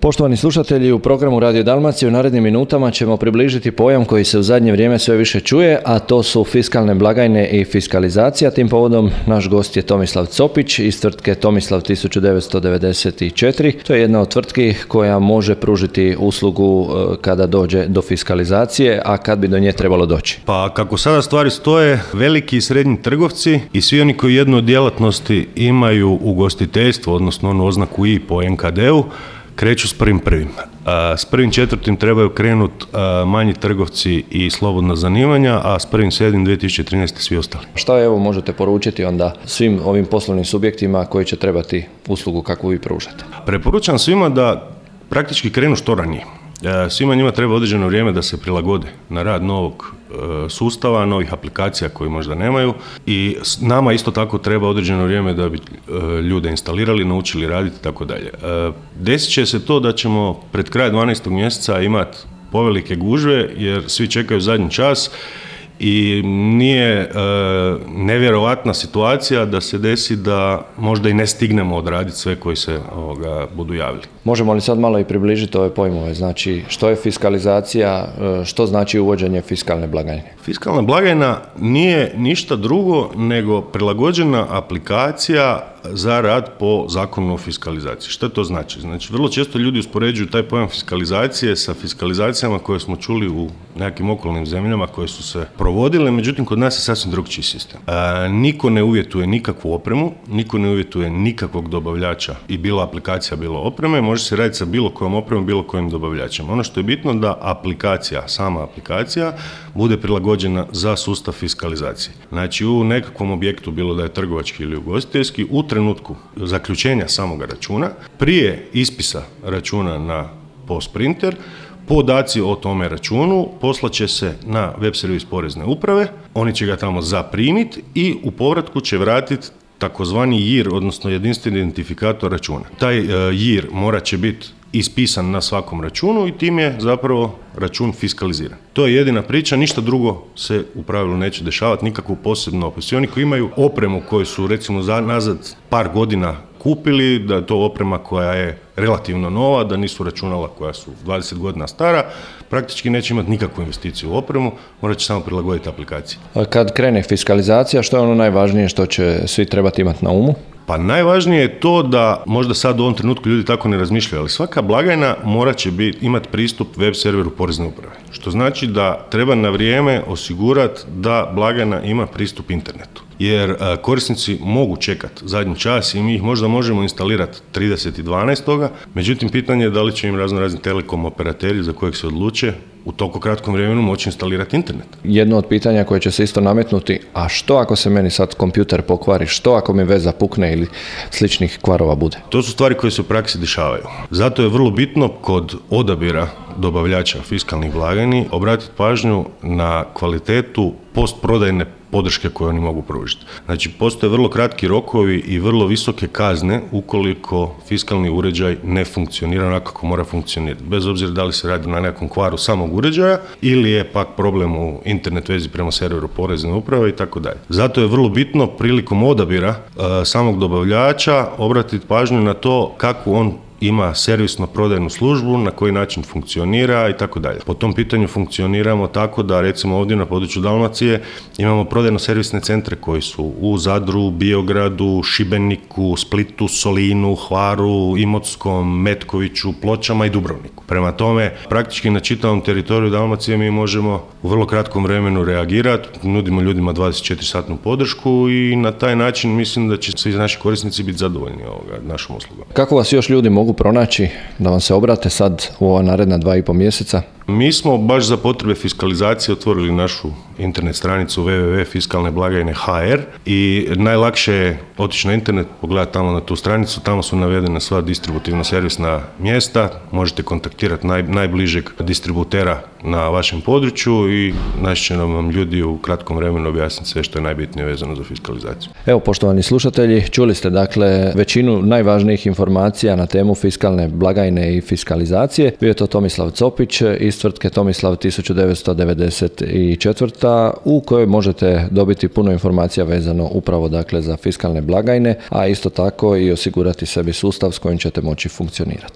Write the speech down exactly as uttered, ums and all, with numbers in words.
Poštovani slušatelji, u programu Radio Dalmacije u narednim minutama ćemo približiti pojam koji se u zadnje vrijeme sve više čuje, a to su fiskalne blagajne i fiskalizacija. Tim povodom naš gost je Tomislav Copić iz tvrtke Tomislav tisuću devetsto devedeset četiri. To je jedna od tvrtki koja može pružiti uslugu kada dođe do fiskalizacije, a kad bi do nje trebalo doći. Pa kako sada stvari stoje, veliki i srednji trgovci i svi oni koji jednu od djelatnosti imaju ugostiteljstvo, odnosno onu oznaku I po en ka de u, kreću s prvim prvim. S prvim četvrtim trebaju krenuti manji trgovci i slobodna zanimanja, a s prvim sedmim dvije tisuće trinaeste svi ostali. Šta evo možete poručiti onda svim ovim poslovnim subjektima koji će trebati uslugu kakvu vi pružate? Preporučam svima da praktički krenu što ranije. Svima njima treba određeno vrijeme da se prilagode na rad novog sustava, novih aplikacija koji možda nemaju, i nama isto tako treba određeno vrijeme da bi ljude instalirali, naučili raditi i tako dalje. Desit će se to da ćemo pred kraj dvanaestog mjeseca imati povelike gužve jer svi čekaju zadnji čas i nije e, nevjerovatna situacija da se desi da možda i ne stignemo odraditi sve koji se ovoga, budu javili. Možemo li sad malo i približiti ove pojmove? Znači, što je fiskalizacija, što znači uvođenje fiskalne blagajne? Fiskalna blagajna nije ništa drugo nego prilagođena aplikacija za rad po zakonu o fiskalizaciji. Što to znači? Znači, vrlo često ljudi uspoređuju taj pojam fiskalizacije sa fiskalizacijama koje smo čuli u nekim okolnim zemljama koje su se provodile, međutim, kod nas je sasvim drugčiji sistem. A, niko ne uvjetuje nikakvu opremu, niko ne uvjetuje nikakvog dobavljača i bilo aplikacija, bilo opreme, može se raditi sa bilo kojom opremom, bilo kojim dobavljačem. Ono što je bitno da aplikacija, sama aplikacija, bude prilagođena za sustav fiskalizacije. Znači, u nekakvom objektu, bilo da je trgovački ili ugostiteljski, u trenutku zaključenja samoga računa, prije ispisa računa na post printer, podaci o tome računu poslaće se na web servis Porezne uprave, oni će ga tamo zaprimiti i u povratku će vratiti takozvani J I R, odnosno jedinstveni identifikator računa. Taj uh, J I R morat će biti ispisan na svakom računu i tim je zapravo račun fiskaliziran. To je jedina priča, ništa drugo se u pravilu neće dešavati, nikakvu posebnu opis. I oni koji imaju opremu koju su recimo za, nazad par godina kupili, da je to oprema koja je relativno nova, da nisu računala koja su dvadeset godina stara, praktički neće imati nikakvu investiciju u opremu, morat će samo prilagoditi aplikaciji. Kad krene fiskalizacija, što je ono najvažnije što će svi trebati imati na umu? Pa najvažnije je to da možda sad u ovom trenutku ljudi tako ne razmišljaju, ali svaka blagajna morat će biti, imati pristup web serveru Porezne uprave. Što znači da treba na vrijeme osigurati da blagajna ima pristup internetu. Jer a, korisnici mogu čekati zadnji čas i mi ih možda možemo instalirati trideset dvanaest Međutim, pitanje je da li će im razno razni telekom operateri za kojeg se odluče u toliko kratkom vremenu moći instalirati internet. Jedno od pitanja koje će se isto nametnuti, a što ako se meni sad kompjuter pokvari, što ako mi veza pukne ili sličnih kvarova bude? To su stvari koje se u praksi dešavaju. Zato je vrlo bitno kod odabira dobavljača fiskalnih blagajni obratiti pažnju na kvalitetu postprodajne podrške koje oni mogu pružiti. Znači, postoje vrlo kratki rokovi i vrlo visoke kazne ukoliko fiskalni uređaj ne funkcionira onako kako mora funkcionirati. Bez obzira da li se radi na nekom kvaru samog uređaja ili je pak problem u internet vezi prema serveru Porezne uprave i tako dalje. Zato je vrlo bitno prilikom odabira uh, samog dobavljača obratiti pažnju na to kako on ima servisno-prodajnu službu, na koji način funkcionira i tako dalje. Po tom pitanju funkcioniramo tako da recimo ovdje na području Dalmacije imamo prodajno-servisne centre koji su u Zadru, Biogradu, Šibeniku, Splitu, Solinu, Hvaru, Imotskom, Metkoviću, Pločama i Dubrovniku. Prema tome, praktički na čitavom teritoriju Dalmacije mi možemo u vrlo kratkom vremenu reagirati, nudimo ljudima dvadeset četiri satnu podršku i na taj način mislim da će svi naši korisnici biti zadovoljni ovoga našom uslugom. Kako vas još ljudi mogu pronaći da vam se obrate sad u ova naredna dva i pol mjeseca? Mi smo baš za potrebe fiskalizacije otvorili našu internet stranicu w w w tačka fiskalne blagajne tačka h r i najlakše je otići na internet, pogledati tamo na tu stranicu, tamo su navedene sva distributivno-servisna mjesta, možete kontaktirati naj, najbližeg distributera na vašem području i naći će nam ljudi u kratkom vremenu objasniti sve što je najbitnije vezano za fiskalizaciju. Evo, poštovani slušatelji, čuli ste dakle većinu najvažnijih informacija na temu fiskalne blagajne i fiskalizacije. Bio je to Tomislav Copić iz tvrtke Tomislav tisuću devetsto devedeset četiri u kojoj možete dobiti puno informacija vezano upravo dakle za fiskalne blagajne, a isto tako i osigurati sebi sustav s kojim ćete moći funkcionirati.